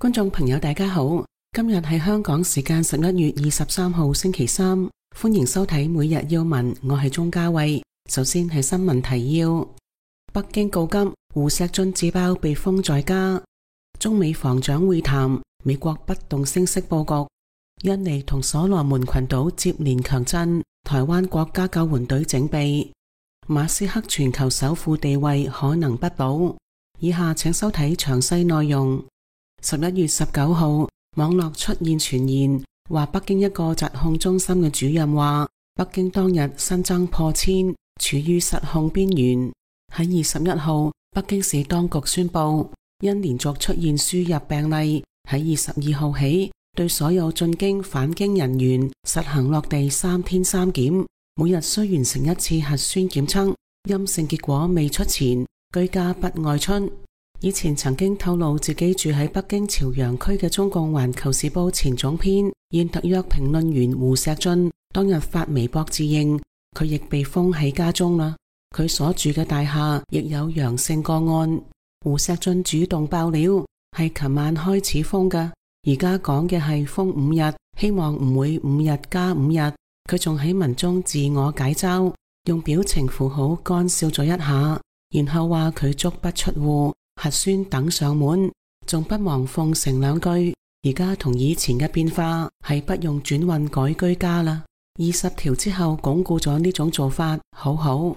觀眾朋友大家好，今日係香港時間11月23號星期三，歡迎收睇每日要聞，我係鍾嘉慧。首先係新聞提要：北京告急，胡錫進自爆被封在家；中美防長會談，美國不動聲色佈局；印尼同所羅門群島接連強震，台灣國家救援隊整備；馬斯克全球首富地位可能不保。以下請收睇詳細內容。11月19號，網絡出現傳言，話北京一個疾控中心嘅主任話，北京當日新增破千，處於失控邊緣。喺21號，北京市當局宣布，因連續出現輸入病例，喺22號起，對所有進京返京人員實行落地3天3檢，每日需完成一次核酸檢測，陰性結果未出前，居家不外出。以前曾經透露自己住喺北京朝陽區嘅中共環球時報前總編、現特約評論員胡錫進，當日發微博自認，佢亦被封喺家中啦。佢所住嘅大廈亦有陽性個案。胡錫進主動爆料，係琴晚開始封㗎，而家講嘅係封5日，希望唔會5日加5日。佢仲喺文中自我解嘲，用表情符號乾笑咗一下，然後話佢足不出戶，核酸等上門，仲不忘奉承2句。而家同以前嘅變化係不用轉運改居家啦。20條之後鞏固咗呢種做法，好好。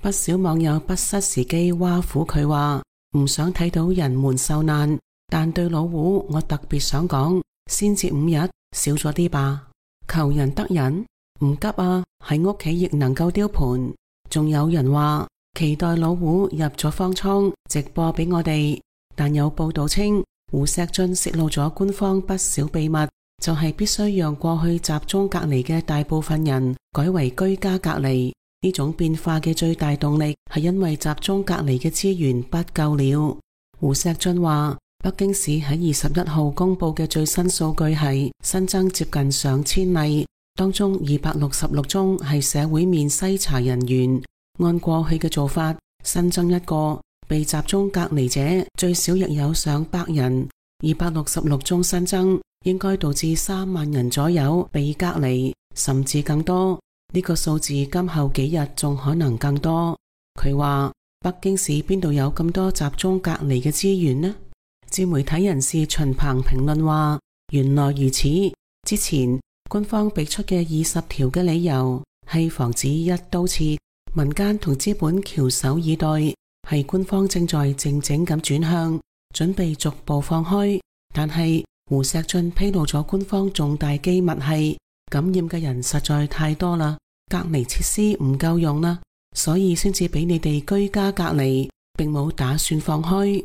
不少網友不失時機挖苦佢話，唔想睇到人們受難，但對老胡我特別想講，先至5日，少咗啲吧。求人得人，唔急啊，喺屋企亦能夠丟盤。仲有人話期待老胡入咗方艙直播俾我哋，但有報道稱胡錫進洩露咗官方不少秘密，就係必須讓過去集中隔離嘅大部分人改為居家隔離。呢種變化嘅最大動力係因為集中隔離嘅資源不夠了。胡錫進話，北京市喺21號公布嘅最新數據係新增接近上千例，當中266宗係社會面篩查人員。按過去嘅做法，新增一個被集中隔離者，最少亦有上百人。266宗新增，應該導致3萬人左右被隔離，甚至更多。呢個數字今後幾日仲可能更多。佢話北京市邊度有咁多集中隔離嘅資源呢？自媒體人士秦鵬評論話，原來如此。之前官方俾出嘅20條嘅理由係防止一刀切，民間同資本翹首以待，係官方正在靜靜咁轉向，準備逐步放開。但係胡錫進披露咗官方重大機密係感染嘅人實在太多啦，隔離設施唔夠用啦，所以先至俾你哋居家隔離，並冇打算放開。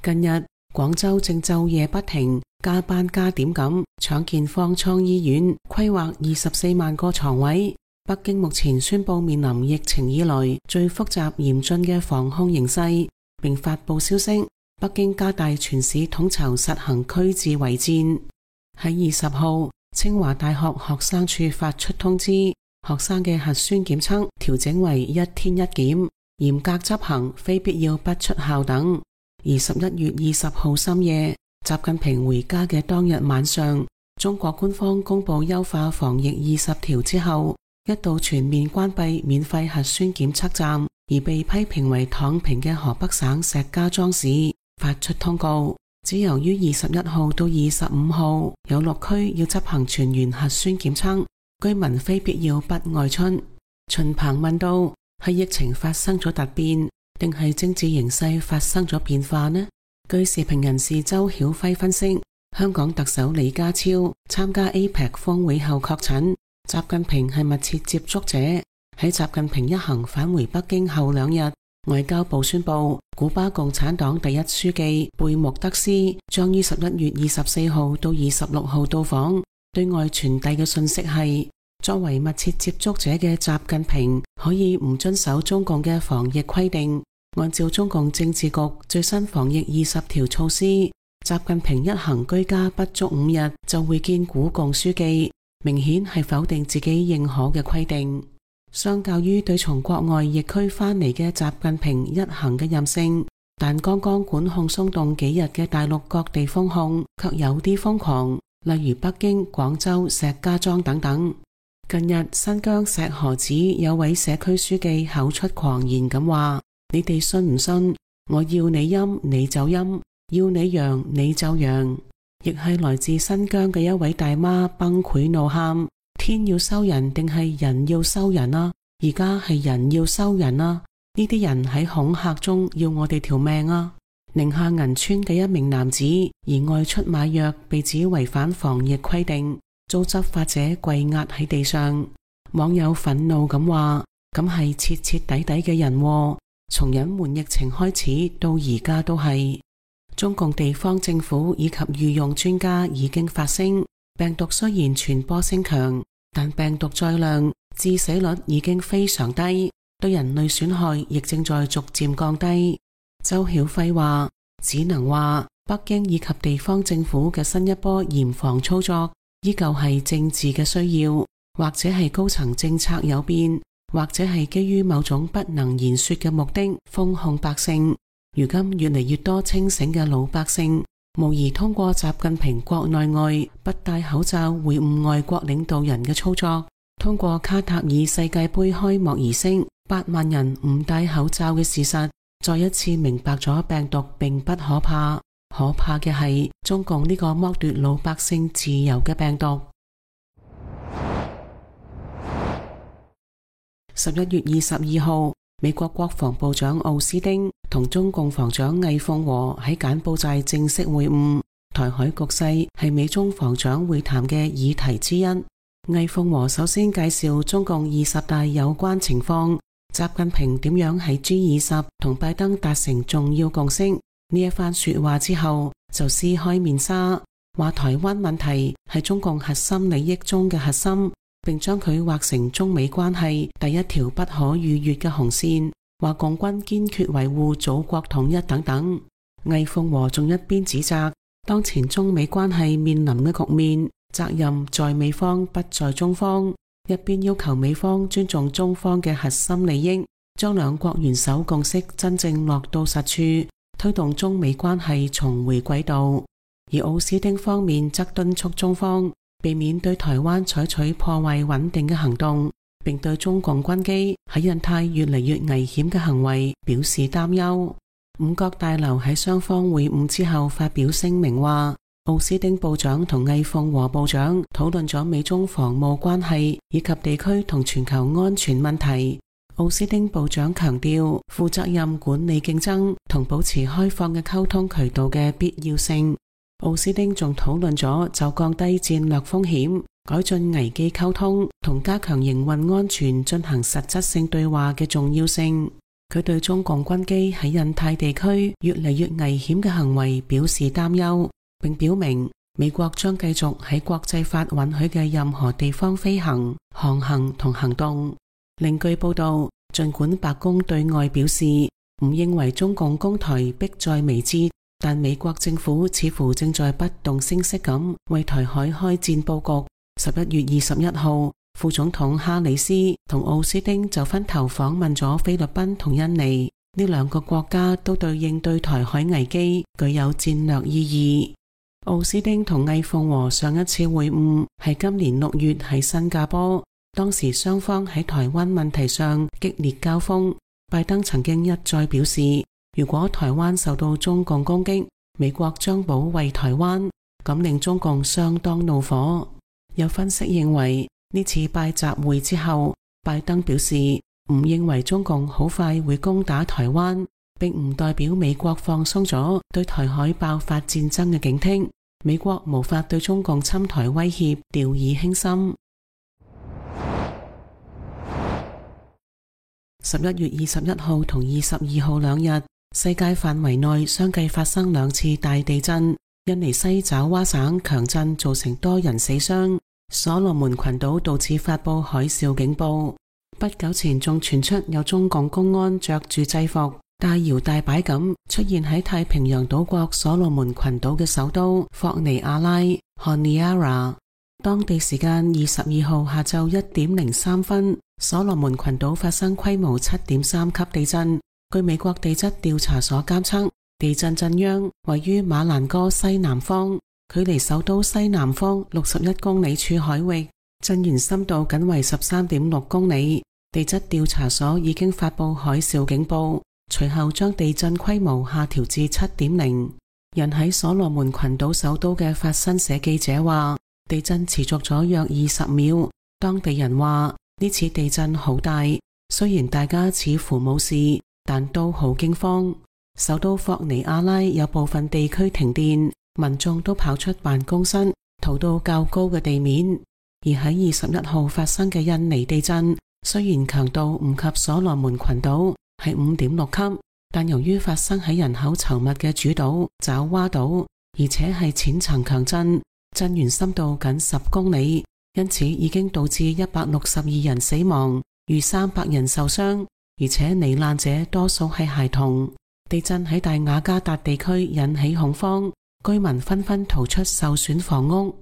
近日廣州正晝夜不停加班加點咁搶建方艙醫院，規劃24萬個床位。北京目前宣布面臨疫情以來最複雜嚴峻嘅防控形勢，並發布消息，北京加大全市統籌實行區治圍戰。喺20號，清華大學學生處發出通知，學生嘅核酸檢測調整為1天1檢，嚴格執行，非必要不出校等。而11月20號深夜，習近平回家嘅當日晚上，中國官方公布優化防疫20條之後，一度全面關閉免費核酸檢測站，而被批評為躺平嘅河北省石家莊市發出通告，只由於21號到25號有6區要執行全員核酸檢測，居民非必要不外出。秦鵬問道，係疫情發生咗突變，定係政治形勢發生咗變化呢？據時評人士周曉輝分析，香港特首李家超參加 APEC 峰會後確診，習近平係密切接觸者。喺習近平一行返回北京後2日，外交部宣布，古巴共產黨第一書記貝穆德斯將於11月24號到26號到訪。對外傳遞嘅信息係，作為密切接觸者嘅習近平可以唔遵守中共嘅防疫規定，按照中共政治局最新防疫20條措施，習近平一行居家不足5日就會見古共書記，明顯係否定自己認可嘅規定。相較於對從國外疫區返嚟嘅習近平一行嘅任性，但剛剛管控鬆動幾日嘅大陸各地封控卻有啲瘋狂，例如北京、廣州、石家莊等等。近日新疆石河子有位社區書記口出狂言咁話：你哋信唔信？我要你陰你就陰，要你陽你就陽。亦係來自新疆嘅一位大媽崩潰怒喊：天要收人定係人要收人啊？而家係人要收人啊！呢啲人喺恐嚇中要我哋條命啊！寧夏銀川嘅一名男子而外出買藥，被指違反防疫規定，遭執法者跪壓喺地上。網友憤怒咁話：咁係徹徹底底嘅人禍，從隱瞞疫情開始到而家都係。中共地方政府以及御用專家已經發聲，病毒雖然傳播性強，但病毒載量、致死率已經非常低，對人類損害亦正在逐漸降低。周曉輝話：只能話北京以及地方政府嘅新一波嚴防操作，依舊係政治嘅需要，或者係高層政策有變，或者係基於某種不能言說嘅目的封控百姓。如今越嚟越多清醒嘅老百姓，無疑通過習近平國內外不戴口罩會晤外國領導人嘅操作，通過卡塔爾世界盃開幕儀式8萬人唔戴口罩嘅事實，再一次明白咗病毒並不可怕，可怕嘅係中共呢個剝奪老百姓自由嘅病毒。11月22號，美國國防部長奧斯汀同中共防長魏鳳和喺柬埔寨正式會晤。台海局勢係美中防長會談嘅議題之一。魏鳳和首先介紹中共20大有關情況，習近平點樣喺 G20 同拜登達成重要共識。呢一番說話之後，就撕開面紗，話台灣問題係中共核心利益中嘅核心，並將佢劃成中美關係第一條不可逾越嘅紅線，話共軍堅決維護祖國統一等等。魏鳳和仲一邊指責當前中美關係面臨嘅局面，責任在美方不在中方，一邊要求美方尊重中方嘅核心利益，將兩國元首共識真正落到實處，推動中美關係重回軌道。而奧斯汀方面則敦促中方避免對台灣採取破壞穩定嘅行動，並對中共軍機喺印太越嚟越危險嘅行為表示擔憂。五角大樓喺雙方會晤之後發表聲明話，奧斯汀部長同魏鳳和部長討論咗美中防務關係以及地區同全球安全問題。奧斯汀部長強調負責任管理競爭同保持開放嘅溝通渠道嘅必要性。奧斯汀仲討論咗就降低戰略風險、改進危機溝通同加強營運安全進行實質性對話嘅重要性。佢對中共軍機喺印太地區越嚟越危險嘅行為表示擔憂，並表明美國將繼續喺國際法允許嘅任何地方飛行、航行同行動。另據報道，儘管白宮對外表示唔認為中共攻台迫在眉睫，但美國政府似乎正在不動聲色咁為台海開戰佈局。11月21號，副總統哈里斯同奧斯汀就分頭訪問咗菲律賓同印尼，呢兩個國家都對應對台海危機具有戰略意義。奧斯汀同魏鳳和上一次會晤係今年6月喺新加坡，當時雙方喺台灣問題上激烈交鋒。拜登曾經一再表示，如果台灣受到中共攻擊，美國將保衛台灣，咁令中共相當怒火。有分析認為，呢次拜習會之後，拜登表示唔認為中共好快會攻打台灣，並唔代表美國放鬆咗對台海爆發戰爭嘅警惕。美國無法對中共侵台威脅掉以輕心。11月21號同22號兩日，世界範圍內相繼發生2次大地震，印尼西爪哇省強震造成多人死傷，所羅門群島導致發佈海嘯警報。不久前仲傳出有中共公安着住制服，大搖大擺咁出現喺太平洋島國所羅門群島嘅首都霍尼亞拉 Honiara。當地時間22號下晝1點03分，所羅門群島發生規模7.3級地震，據美國地質調查所監測，地震震央位於馬蘭戈西南方，距離首都西南方61公里處海域，震源深度僅為13.6公里。地質調查所已經發布海嘯警報，隨後將地震規模下調至 7.0。人喺所羅門群島首都嘅法新社記者話，地震持續咗約20秒。當地人話呢次地震好大，雖然大家似乎冇事，但都好驚慌。首都霍尼亞拉有部分地區停電，民眾都跑出辦公室，逃到較高嘅地面。而喺21號發生嘅印尼地震，雖然強度唔及所羅門群島，係 5.6 級，但由於發生喺人口稠密嘅主島爪哇島，而且係淺層強震，震源深度僅10公里，因此已經導致162人死亡，逾300人受傷，而且罹難者多數係孩童。地震喺大雅加達地區引起恐慌，居民紛紛逃出受損房屋。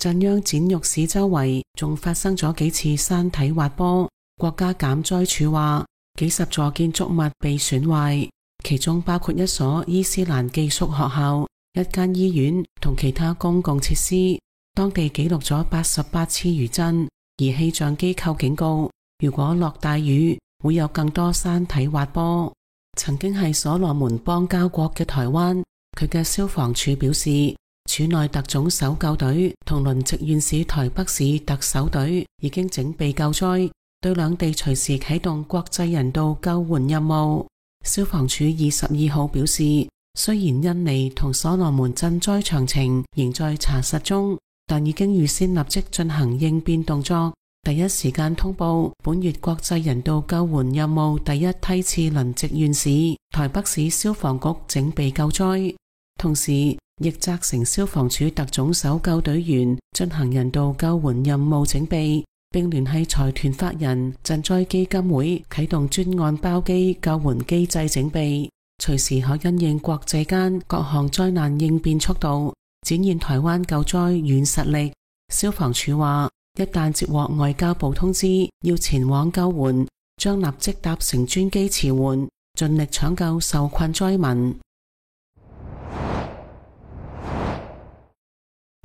震央剪玉市周圍仲發生咗幾次山體滑坡。國家減災處話，幾十座建築物被損壞，其中包括一所伊斯蘭寄宿學校、一間醫院同其他公共設施。當地記錄咗88次餘震，而氣象機構警告，如果落大雨，會有更多山體滑坡。曾經係所羅門邦交國嘅台灣，佢嘅消防處表示，處內特種搜救隊同輪值縣市台北市特搜隊已經整備救災，對兩地隨時啟動國際人道救援任務。消防處22號表示，雖然印尼同所羅門震災詳情仍在查實中，但已經預先立即進行應變動作，第一時間通報本月國際人道救援任務第一梯次輪值縣市台北市消防局整備救災，同時亦責成消防處特種搜救隊員進行人道救援任務整備，並聯繫財團法人賑災基金會啟動專案包機救援機制整備，隨時可因應國際間各項災難應變速度，展現台灣救災軟實力。消防處話，一旦接獲外交部通知要前往救援，將立即搭乘專機馳援，盡力搶救受困災民。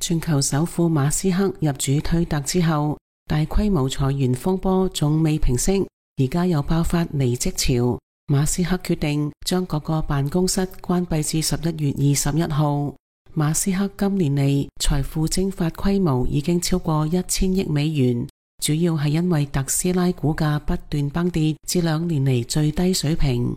全球首富馬斯克入主推特之後，大規模裁員風波仲未平息，而家又爆發離職潮。馬斯克決定將各個辦公室關閉至11月21號。馬斯克今年嚟財富蒸發規模已經超過1000億美元，主要係因為特斯拉股價不斷崩跌至2年嚟最低水平。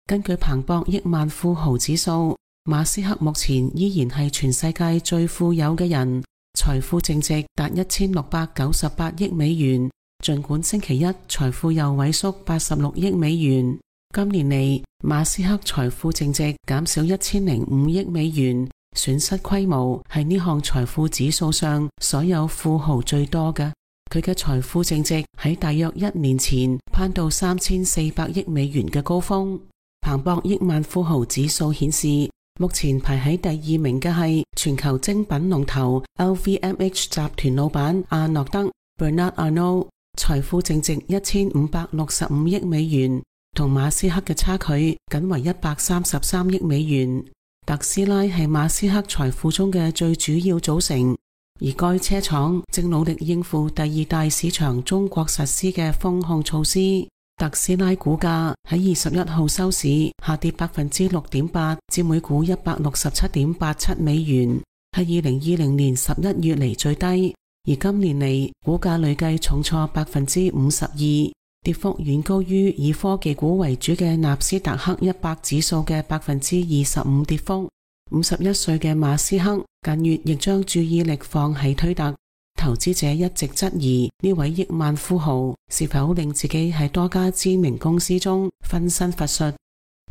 根據彭博億萬富豪指數，馬斯克目前依然係全世界最富有嘅人，財富淨值達1698億美元，盡管星期一財富又萎縮86億美元。今年嚟，馬斯克財富淨值減少1005億美元，損失規模係呢項財富指數上所有富豪最多嘅。佢嘅財富淨值喺大約1年前攀到3400億美元嘅高峰。彭博億萬富豪指數顯示，目前排喺第2名嘅係全球精品龍頭 LVMH 集團老闆阿諾德 Bernard Arnault， 財富淨值1565億美元，同馬斯克嘅差距僅為133億美元。特斯拉係馬斯克財富中嘅最主要組成，而該車廠正努力應付第2大市場中國實施嘅封控措施。特斯拉股價喺21號收市下跌 6.8% 至每股 167.87 美元，係2020年11月嚟最低，而今年嚟股價累計重挫 52%， 跌幅遠高於以科技股為主嘅納斯達克100指數嘅 25% 跌幅。51歲嘅馬斯克近月亦將注意力放喺推特，投資者一直質疑呢位億萬富豪是否令自己喺多家知名公司中分身乏術。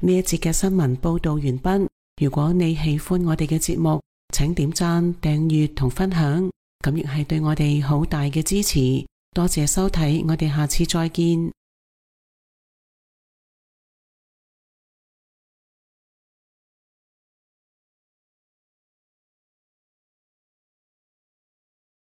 呢一節嘅新聞報道完畢。如果你喜歡我哋嘅節目，請點讚、訂閱同分享，咁亦係對我哋好大嘅支持。多謝收睇，我哋下次再見。